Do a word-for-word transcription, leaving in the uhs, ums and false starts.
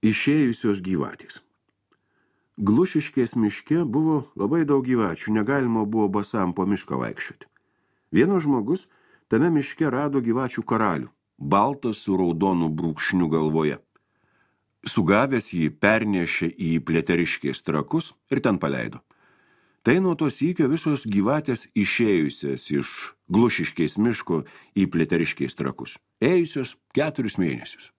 Išėjusios gyvatės. Glušiškės miške buvo labai daug gyvačių, negalima buvo basam po mišką vaikščioti. Vienas žmogus tame miške rado gyvačių karalių, baltas su raudonu brūkšniu galvoje. Sugavęs jį pernešė į Pliteriškės trakus ir ten paleido. Tai nuo to sykio visos gyvatės išėjusios iš Glušiškės miško į Pliteriškės trakus, ėjusios keturis mėnesius.